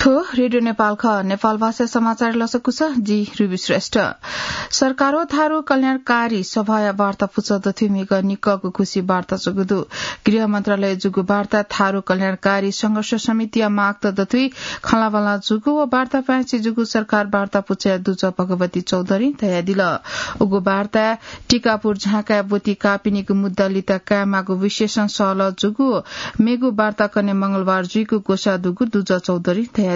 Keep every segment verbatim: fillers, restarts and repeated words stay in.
थ्व रेडियो नेपाल खः। नेपाल भाषा समाचार लसकुस, जि रुबी श्रेष्ठ। सरकार व थारु कल्याणकारी सभाया वार्ता पुचः दथुइ म्हिगः निकःगु खुसी वार्ता जूगु दु। गृह मन्त्रालय जूगु वार्ता थारु कल्याणकारी संघर्ष समितिया मागत दथुइ खँल्हाबल्हा जूगु व वार्ता पाय्छि जूगु सरकार वार्ता पुचःया दुजः भगवती चौधरीं धयादिल। उगु वार्ताय् टिकापुर झाँकाय् ब्वति काःपिनिगु मुद्दा लिता कायेमाःगु विशेषं सहलह जूगु मेगु वार्ता कन्हय् मंगलबार जुइगु ग्वसाः दुगु दुजः चौधरीं धयादिल।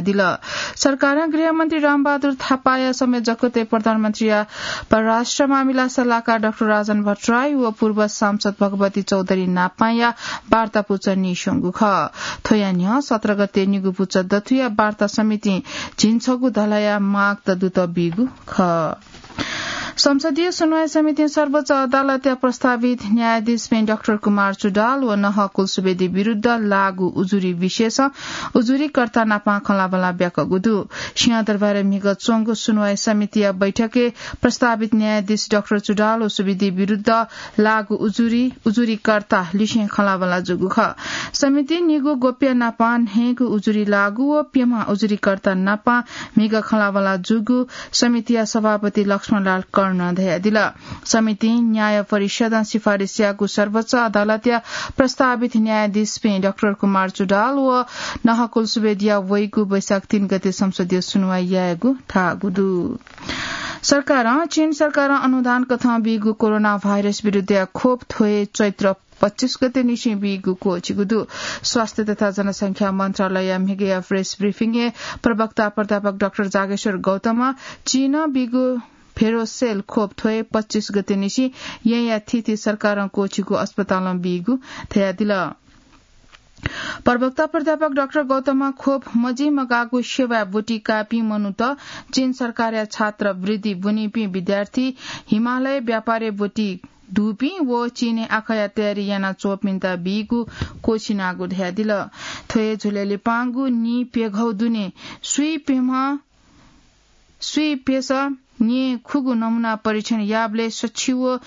सरकारं गृहमन्त्री रामबहादुर थापाया समय जकतय् प्रधानमन्त्रीया परराष्ट्र मामिला सल्लाहकार डाक्टर राजन भट्टराई व पूर्व सांसद भगवती चौधरी नापांया वार्ता पुचः नीस्वंगु खः। थ्वया न्ह्यः सत्र गते निगू पुचः दथुया वार्ता समितिं झिंछगू धलाया मागत दुत बीगु खः। संसदीय सुनवाई समितिं सर्वोच्च अदालतया प्रस्तावित न्यायाधीशपिं डाक्टर कुमार चुडाल व नहकुल सुवेदी विरुद्ध लागू उजुरी विषयसं उजुरीकर्ता नापां खँल्हाबल्हा ब्याकःगु दु। सिंहदरबारय् म्हिगः च्वंगु सुनवाई समितिया बैठकय् प्रस्तावित न्यायाधीश डाक्टर चुडाल व सुवेदी विरुद्ध लागू उजुरी, उजुरीकर्ता लिसें खँल्हाबल्हा जूगु खः। समितिं निगू गोप्य नापां न्हय्गू उजुरी लागू व प्यम्ह उजुरीकर्ता नापां म्हिगः खँल्हाबल्हा जूगु समितिया सभापति लक्ष्मणलाल कर्णं धयादिल। समितिं न्याय परिषदं सिफारिस याःगु सर्वोच्च अदालतया प्रस्तावित न्यायाधीशपिं डाक्टर कुमार चुडाल व नहकुल सुवेदीया वइगु वैशाख तीन गते संसदीय सुनवाई यायेगु धाःगु दु। सरकारं चीन सरकारं अनुदान कथं बीगु कोरोना भाइरस विरुद्धया खोप थ्व हे चैत्र पच्चीस गते निसें बीगु क्वःछिगु दु। स्वास्थ्य तथा जनसंख्या मन्त्रालयया म्हिगःया प्रेस ब्रिफिङय् प्रवक्ता प्राध्यापक डाक्टर जागेश्वर गौतमं चीनं बीगु भेरोसेल खोप थ्व हे पच्चीस गते निसें येँया थीथी सरकारं क्वःछिगु अस्पतालं बीगु धयादिल। प्रवक्ता प्राध्यापक डाक्टर गौतमं खोप मजिमगाःगु सेवाय् ब्वति काःपिं मनूत, चीन सरकारया छात्रवृत्ति ब्वनीपिं विद्यार्थी, हिमालय व्यापारय् ब्वति दुपिं व चीनय् आखःया तयारी यानाच्वंपिन्त बीगु क्वःछिनागु धयादिल। थ्व हे झ्वलय् लिपांगु नीप्यघौ दुने स्वीप्यम्ह स्वीप्यसः न्येखुगू नमूना परीक्षण याःबलय् सछि व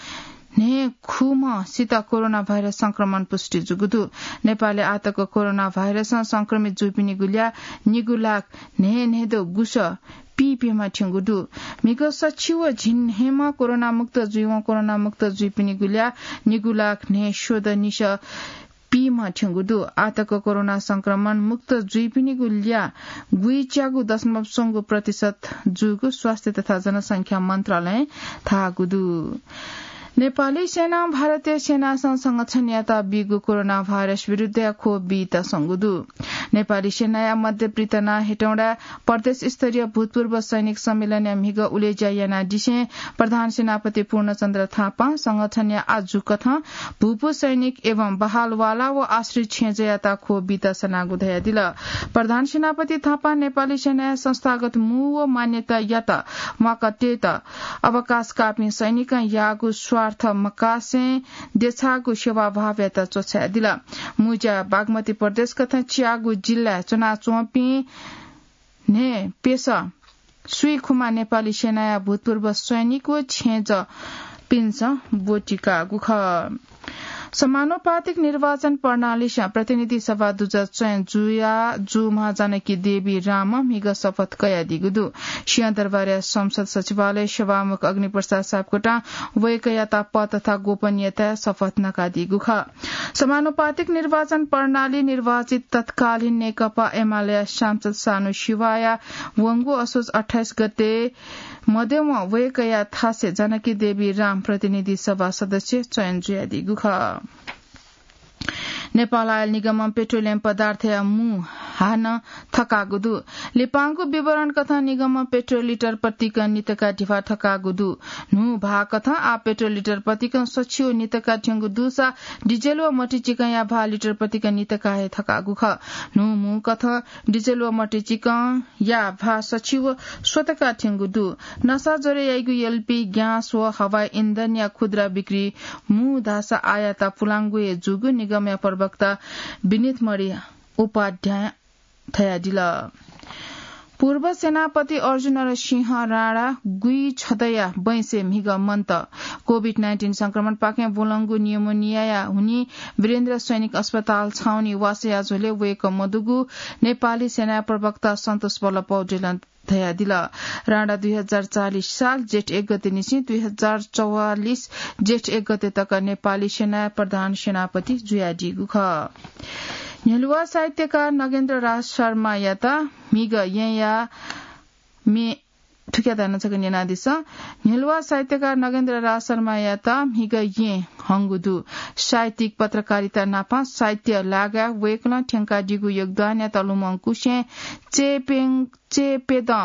न्हय्खुम्हसित कोरोना भाइरस संक्रमण पुष्टि जूगु दु। नेपालय् आःतक कोरोना भाइरसं संक्रमित जूपिनिगु ल्याः निगू लाख न्हय्न्हय्दँ गुसः पीप्यम्ह थ्यंगु दु। म्हिगः सछि व झिंन्हय्म्ह कोरोना मुक्त जुइवं कोरोना मुक्त जुइपिनिगु ल्याः निगू लाख न्हय्स्वदँ निसः पीम्ह थ्यंगु दु। आःतक कोरोना संक्रमण मुक्त जुइपिनिगु ल्याः गुइच्यागू दशमलव स्वंगू प्रतिशत जूगु स्वास्थ्य तथा जनसंख्या मन्त्रालयं धाःगु दु। नेपाली सेनां भारतीय सेनासं संगठनयात बीगु कोरोना भाइरस विरुद्धया खोप बीत स्वंगु दु। नेपाली सेनाया मध्य पृथना हेटौँडाय् प्रदेश स्तरीय भूतपूर्व सैनिक सम्मेलनया म्हिगः उलेज्या यानादिसें प्रधान सेनापति पूर्णचन्द्र थापां संगठनया आजु कथं भूपू सैनिक एवं बहालवाला व आश्रित छेँजःयात खोप बीत सनागु धयादिल। प्रधान सेनापति थापां नेपाली सेनाया संस्थागत मू व मान्यतायात म्वाकातयेत अवकाश काःपिं सैनिकं याःगु स्वार्थ मकासें देछाःगु सेवाभावयात च्वछायादिल। मुँज्या बागमती प्रदेश कथं च्यागू जिल्लाय् च्वनाच्वंपिं न्हय्प्यसः स्वीखुम्ह नेपाली सेनाया भूतपूर्व सैनिक व छेँजःपिन्सं ब्वति काःगु खः। समानुपातिक निर्वाचन प्रणालीसं प्रतिनिधि सभा दुजः चयन जुया जूम्ह जानकी देवी रामं म्हिगः शपथ कयादीगु दु। सिंहदरबारया संसद सचिवालय सभामुख अग्निप्रसाद सापकोटां वय्कःयात पद तथा गोपनीयताया शपथ नकादीगु खः। समानुपातिक निर्वाचन प्रणाली निर्वाचित तत्कालीन नेकपा एमालेया सांसद सानु शिवाया वंगु असोज अट्ठाइस गते मध्यमं वय्कःया थासय् जानकी देवी राम प्रतिनिधि सभा सदस्य चयन जुयादीगु खः। नेपाल आयल निगमं पेट्रोलियम पदार्थया मू हानं थकाःगु दु। लिपांगु विवरण कथं निगमं पेट्रोल लिटर प्रतिकं नितका धिबा थकाःगु दु। न्हू भाः कथं आः पेट्रोल लिटर प्रतिकं सछि व नितका थ्यंगु दुसा डिजेल व मतिचिकंया भाः लिटर प्रतिकं नितका हे थकाःगु खः। न्हू मू कथं डिजेल व मतिचिकंया भाः सछि व स्वतका थ्यंगु दु। नसा ज्वरे याइगु एलपी, ग्यास व हवाई इन्धनया खुद्रा बिक्री मू धाःसा आयात पुलांगु हे जूगु निगमया प्रवक्ता विनित मणि उपाध्यायं धयादिल। पूर्व सेनापति अर्जुनर सिंह राणा गुइछदँया बैंसे म्हिगः मन्त। कोभिड नाइन्टिन संक्रमणपाखें ब्वलंगु निमोनियाया हुनिं वीरेन्द्र सैनिक अस्पताल छाउनी वासया झ्वलय् वय्कः मदुगु नेपाली सेनाया प्रवक्ता सन्तोष बल्ल पौडेलं धयादिल। राणा दुई हजार चालिस साल जेठ एक गते निसें दुई हजार चौवालिस जेठ एक गते तक नेपाली सेनाया प्रधान सेनापति जुयादीगु खः। न्ह्यलुवा साहित्यकार नगेन्द्र राज शर्मायात म्हिगः येँया मे थुकिया धाय् नं छकः न्यनादिसँ। न्ह्यलुवा साहित्यकार नगेन्द्र राज शर्मायात म्हिगः येँ हंगु दु। साहित्यिक पत्रकारिता नापं साहित्य लागाय् वय्कलं थ्यंकादीगु योगदानयात लुमंकुसें चय्पें-, चय्पेदँ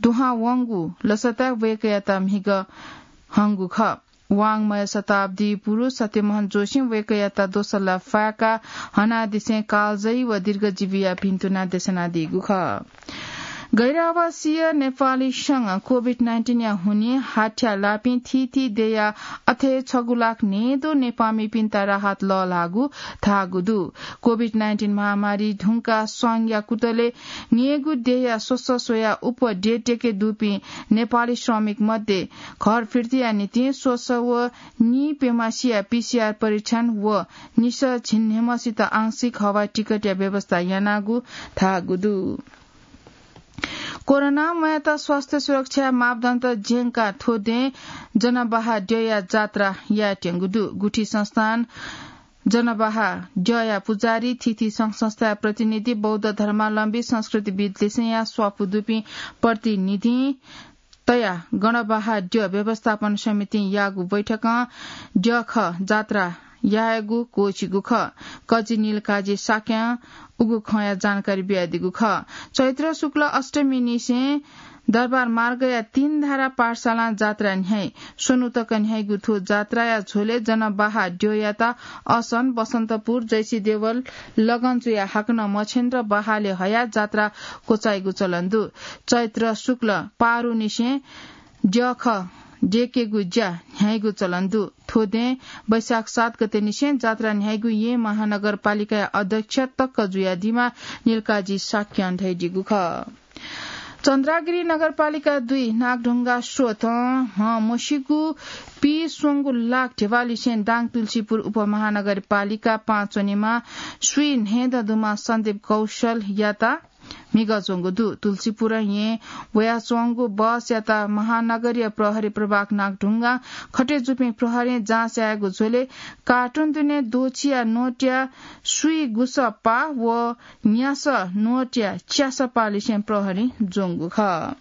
दुहां वंगु लसताय् वय्कःयात म्हिगः हंगु खः। वाङ्मय शताब्दी पुरुष सत्यमोहन जोशीं वय्कःयात दोसल्ला फाय्काः हनादिसें कालजयी व दीर्घजीवीया भिन्तुना देछानादीगु खः। गैर आवासीय नेपाली संघ कोभिड नाइन्टिनया हुनिं हाथ्या लाःपिं थीथी देय्या अथे छगू लाख न्हय्दँ नेपाःमिपिन्त राहत लःल्हाःगु धाःगु दु। कोभिड नाइन्टिन महामारी धुंकाः संघया कुतलय् न्यय्गू देय्या स्वसः स्वयाः उप देय् त्वःके दुपिं नेपाली श्रमिक मध्ये घर फिर्तीया निंतिं स्वसः व नीप्यम्हेसिया पीसीआर परीक्षण व निसः झिंन्हय्म्हेसित आंशिक हवाई टिकटया व्यवस्था यानागु धाःगु दु। कोरोना म्वायेत स्वास्थ्य सुरक्षा मापदण्ड ज्यंकाः थ्व दँय् जनबाहाद्यःया जात्रा यायेत्यंगु दु। गुठी संस्थान जनबाहाद्यःया पुजारी, थीथी संघ संस्थाया प्रतिनिधि, बौद्ध धर्मावलम्बी, संस्कृतिविद् लिसेंया स्वापू दुपिं प्रतिनिधिं तयाः जनबाहाद्यः व्यवस्थापन समितिं याःगु बैठकं द्यःखः जात्रा यायेगु क्वःछिगु खः। कजि नीलकाजी शाक्यं उगु खँया जानकारी बियादीगु खः। चैत्र शुक्ल अष्टमी निसें दरबार मार्गया तीन धारा पाठशालां जात्रा न्ह्याइ। स्वन्हु तक न्ह्याइगु थ्व जात्राया झ्वलय् जनबाहाद्यःयात असन, बसन्तपुर, जैसीदेवल, लगन्चुया हाकनं मछेन्द्र बहालय् हयाः जात्रा क्वचाइगु चलन दु। चैत्र शुक्ल पारुनिसें द्यःखः द्यःकेगु ज्या न्ह्याइगु चलन दु। थ्व दँय् वैशाख सात गते निसें जात्रा न्ह्याइगु येँ महानगरपालिकाया अध्यक्ष तक जुयादीम्ह नीलकाजी शाक्यं धयादीगु खः। चन्द्रागिरी नगरपालिका दुई नागढुङ्गा स्रोतं हं मसिगु पीस्वंगू लाख ध्यबा लिसें दाङ तुलसीपुर उपमहानगरपालिका पाँच च्वनेमा स्वीन्हय्दँ दुम्ह सन्दीप कौशलयात म्हिगः ज्वंगु दु। तुलसीपुर येँ वयाच्वंगु बसयात महानगरीय प्रहरी प्रभाग नागढुङ्गां खटे जूपिं प्रहरीं जाँच यायेगु झ्वलय् कार्टुन दुने द्वःछिया नोटया स्वीगुसः पाः व न्यासः नोटया च्यासः पाः लिसें प्रहरीं ज्वंगु खः।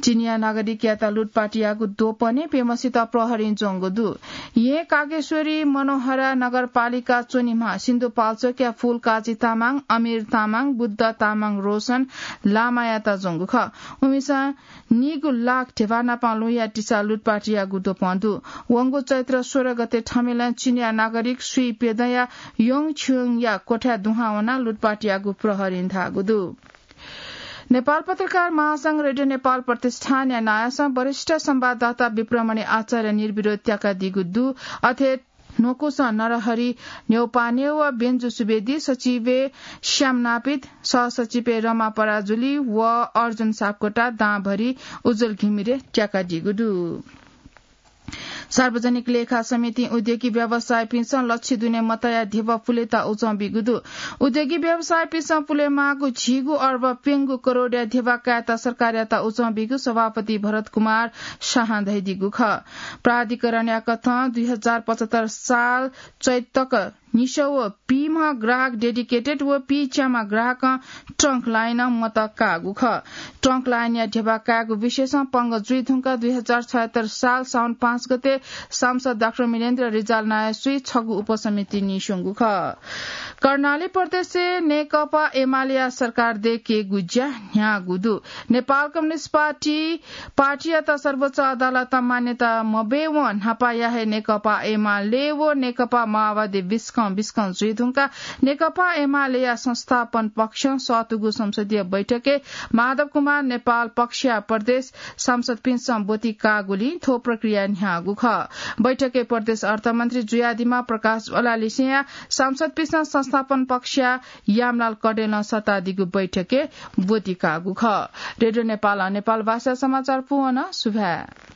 चीनया नागरिकयात लुटपाट याःगु द्वपनय् प्यम्हेसित प्रहरीं ज्वंगु दु। येँ कागेश्वरी मनोहरा नगरपालिका च्वनेम्ह सिन्धुपाल्चोकया फूलकाजी तामाङ, अमीर तामाङ, बुद्ध तामाङ, रोशन लामायात ज्वंगु खः। उमिसं नीगू लाख ध्यबा नापं लुँया तिसा लुटपाट याःगु द्वपं दु। वंगु चैत्र सोह्र गते थमिलं चीनया नागरिक स्वीप्यदँया योङछ्युङया क्वथाय् दुहां वनाः लुटपाट याःगु प्रहरीं धाःगु दु। नेपाल पत्रकार महासंघ रेडियो नेपाल प्रतिष्ठानया नायःसं वरिष्ठ संवाददाता विप्रमणि आचार्य निर्विरोध त्याकादीगु दु। अथे न्वकुसं नरहरि न्यौपाने व बेन्जु सुवेदी, सचिवय् श्याम नापित, सहसचिवय् रमा पराजुली व अर्जुन सापकोटा, दांभरि उज्ज्वल घिमिरे त्याकादीगु दु। सार्वजनिक लेखा समितिं उद्योगी व्यवसायीपिन्सं लच्छि दुने मतया ध्यबा पुलेत उजं बीगु दु। उद्योगी व्यवसायीपिन्सं पुलेमाःगु झिगू अर्ब प्यंगू करोडया ध्यबा कायेत सरकारयात उजं बीगु सभापति भरत कुमार शाहं धयादीगु खः। प्राधिकरणया कथं दुई हजार पचहत्तर साल चैत तक निसः व पीम्ह ग्राहक डेडिकेटेड व पीच्याम्ह ग्राहकं ट्रंक लाइनं मत काःगु खः। ट्रंक लाइनया ध्यबा कायेगु विषयसं पंगः जुइ धुंकाः दुई हजार छयहत्तर साल साउन पाँच गते सांसद डाक्टर मिलेन्द्र रिजाल नायःस्वी छगू उपसमिति नीस्वंगु खः। कर्णाली प्रदेशय् नेकपा एमालेया सरकार दयेकेगु ज्या न्ह्याःगु दु। नेपाल कम्युनिस्ट पार्टी पार्टीयात सर्वोच्च अदालतं मान्यता मबीवं न्हापाया हे नेकपा एमाले व नेकपा माओवादी बिस्कं बिस्कं जुइ धुंकाः नेकपा एमालेया संस्थापन पक्षं सःतूगु संसदीय बैठकय् माधव कुमार नेपाल पक्षया प्रदेश सांसदपिन्सं ब्वति काःगुलिं थ्व प्रक्रिया न्ह्याःगु खः। बैठके प्रदेश अर्थमन्त्री जुयादिमा प्रकाश ज्वालालिसेया सांसदपिसं संस्थापन पक्षया यामलाल कडेलं सत्तादिगु बैठके ब्वति काःगु खः। रेडियो नेपाल नेपाल भाषा समाचार पुवन सुभाय्।